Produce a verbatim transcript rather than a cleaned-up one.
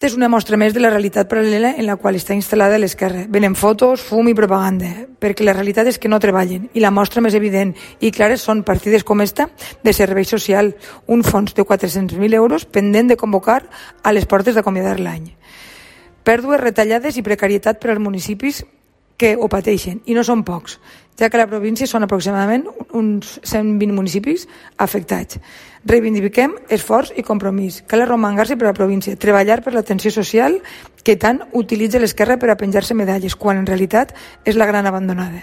És una mostra més de la realitat paral·lela en la qual està instal·lada l'esquerra. Venen fotos, fum i propaganda, perquè la realitat és que no treballen, i la mostra més evident i clara són partides com esta de servei social, un fons de quatre-cents mil euros pendent de convocar a les portes d'acomiadar l'any. Pèrdues, retallades i precarietat per als municipis que ho pateixen, i no són pocs, ja que a la província són aproximadament uns cent vint municipis afectats. Reivindiquem esforç i compromís. Cal arromangar-se per a la província, treballar per l'atenció social que tant utilitza l'esquerra per a penjar-se medalles, quan en realitat és la gran abandonada.